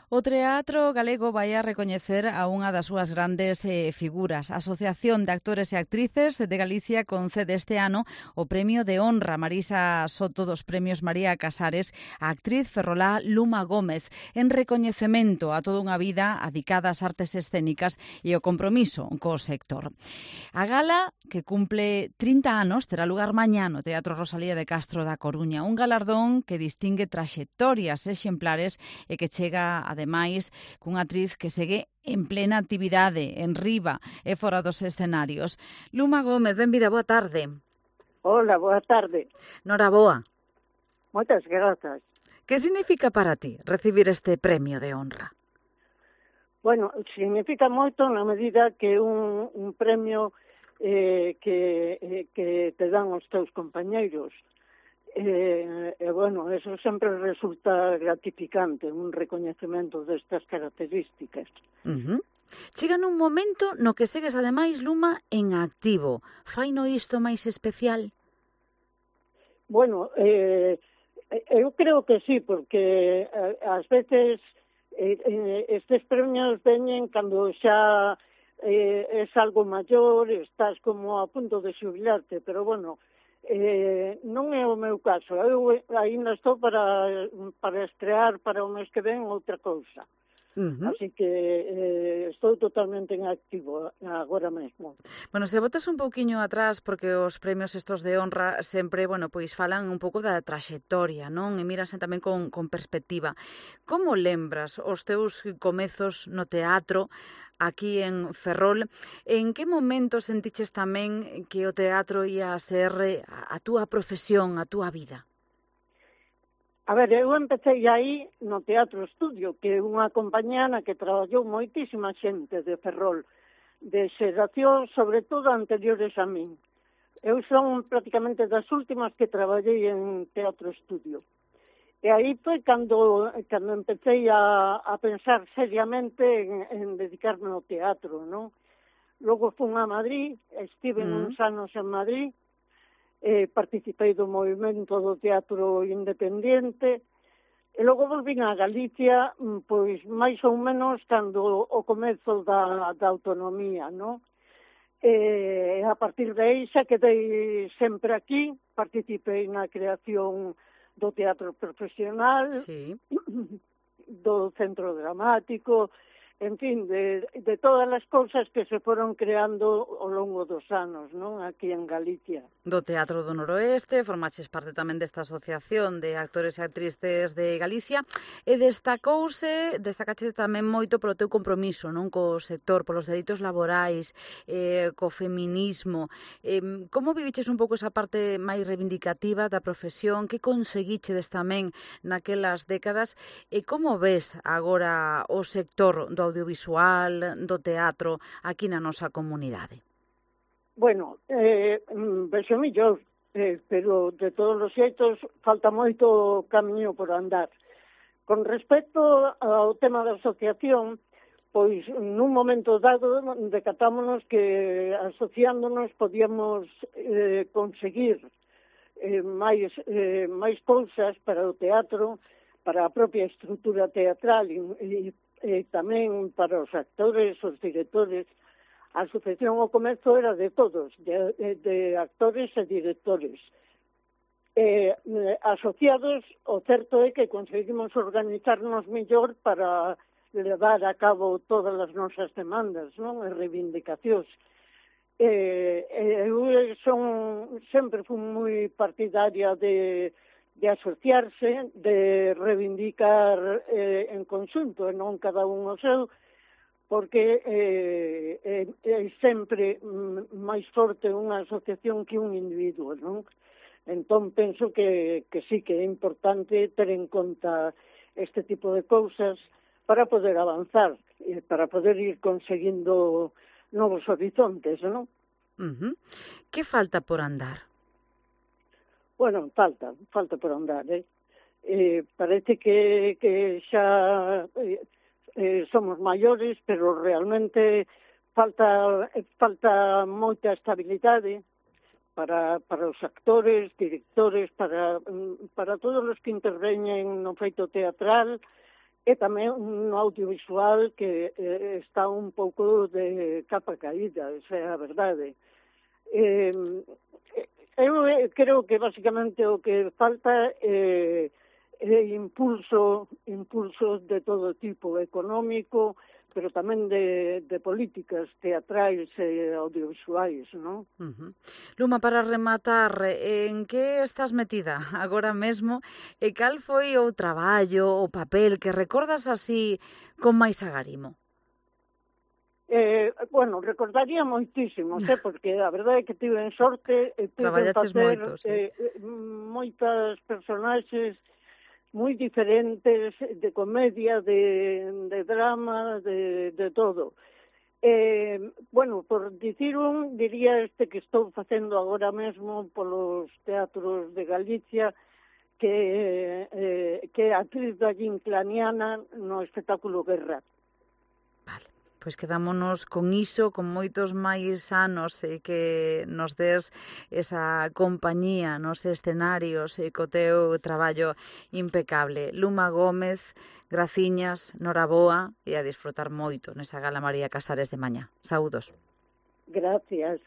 O Teatro Galego vai a recoñecer a unha das súas grandes figuras. A Asociación de Actores e Actrices de Galicia concede este ano o Premio de Honra Marisa Soto dos Premios María Casares a actriz ferrolá Luma Gómez en recoñecemento a toda unha vida adicada ás artes escénicas e o compromiso co sector. A gala, que cumple 30 anos, terá lugar mañá no Teatro Rosalía de Castro da Coruña, un galardón que distingue traxectorias exemplares e que chega, ademais, cunha actriz que segue en plena actividade, en riba e fora dos escenarios. Luma Gómez, benvida, boa tarde. Hola, boa tarde. Noraboa. Moitas grazas. Que significa para ti recibir este premio de honra? Bueno, significa moito na medida que un premio que te dan os teus compañeiros. Bueno, eso sempre resulta gratificante, un recoñecemento destas características. Chega nun momento no que segues, ademais, Luma, en activo. Faino isto máis especial? Bueno, eu creo que sí, porque ás veces estes premios veñen cando xa es algo maior, estás como a punto de xubilarte, pero bueno, non é o meu caso. Eu ainda estou para estrear para o mes que ven outra cousa. Así que estou totalmente en activo agora mesmo. Bueno, se botas un pouquiño atrás, porque os premios estos de honra sempre, bueno, pois falan un pouco da traxectoria, non? E mirasen tamén con perspectiva. Como lembras os teus comezos no teatro aquí en Ferrol? En que momento sentiches tamén que o teatro ia a ser a túa profesión, a túa vida? A ver, eu empecé aí no Teatro Estudio, que é unha compañía na que traballou moitísima xente de Ferrol, de xeracións, sobre todo anteriores a min. Eu son prácticamente das últimas que traballei en Teatro Estudio. E aí foi cando empecé a pensar seriamente en dedicarme ao teatro, non? Logo fun a Madrid, estive uns anos en Madrid, participei do movimento do teatro independente, e logo volvín a Galicia, pois máis ou menos cando o comezo da autonomía, non? E a partir de aí xa quedei sempre aquí, participei na creación do teatro profesional, sí, do centro dramático, en fin, de todas as cousas que se foron creando ao longo dos anos, non? Aquí en Galicia. Do Teatro do Noroeste, formaches parte tamén desta asociación de actores e actrices de Galicia e destacache tamén moito polo teu compromiso, non, co sector, polos dereitos laborais, co feminismo. Como viviches un pouco esa parte máis reivindicativa da profesión? Que conseguichedes tamén naquelas décadas? E como ves agora o sector do audiovisual, do teatro, aquí na nosa comunidade? Bueno, vexo millor, pero de todos os xeitos falta moito camiño por andar. Con respecto ao tema da asociación, pois nun momento dado decatámonos que asociándonos podíamos conseguir máis cousas para o teatro, para a propia estrutura teatral e tamén para os actores, os directores. A asociación ao comezo era de todos, de actores e directores. Asociados, o certo é que conseguimos organizarnos mellor para levar a cabo todas as nosas demandas, non? E reivindicacións. Eu sempre fui moi partidaria de asociarse, de reivindicar en conxunto e non cada un o seu, porque é sempre máis forte unha asociación que un individuo, non? Entón, penso que sí que é importante ter en conta este tipo de cousas para poder avanzar, para poder ir conseguindo novos horizontes, non? Que falta por andar? Bueno, falta por andar, parece que xa somos maiores, pero realmente falta moita estabilidade para os actores, directores, para todos os que interveñen no feito teatral e tamén un audiovisual que está un pouco de capa caída, esa é a verdade. Eu creo que basicamente o que falta é impulsos de todo tipo, económico, pero tamén de políticas teatrais e audiovisuais, non? Luma, para rematar, en que estás metida agora mesmo e cal foi o traballo, o papel que recordas así con máis agarimo? Bueno, recordaría moitísimos, porque a verdade é que tiven sorte e puiden Traballaches facer moito, sí. moitas personaxes moi diferentes, de comedia, de drama, de todo. Bueno, por dicir diría este que estou facendo agora mesmo polos teatros de Galicia, que é actriz da Ginclaniana no espectáculo Guerra. Vale, pois quedámonos con iso, con moitos máis anos que nos des esa compañía nos escenarios e co teu traballo impecable. Luma Gómez, graciñas, noraboa e a disfrutar moito nesa Gala María Casares de mañá. Saúdos. Gracias.